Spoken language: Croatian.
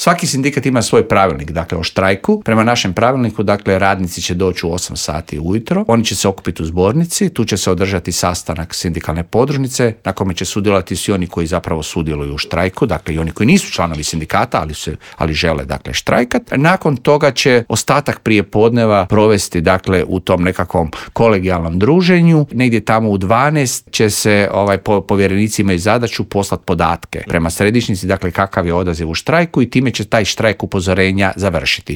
Svaki sindikat ima svoj pravilnik, dakle o štrajku. Prema našem pravilniku, dakle radnici će doći u 8 sati ujutro, oni će se okupiti u zbornici, tu će se održati sastanak sindikalne podružnice na kome će sudjelovati svi oni koji zapravo sudjeluju u štrajku, dakle i oni koji nisu članovi sindikata, ali žele dakle štrajkat. Nakon toga će ostatak prijepodneva provesti dakle u tom nekakvom kolegijalnom druženju. Negdje tamo u 12 će se povjerenici imaju zadaću poslati podatke prema središnjici, dakle kakav je odaziv u štrajku i time će taj štrajk upozorenja završiti.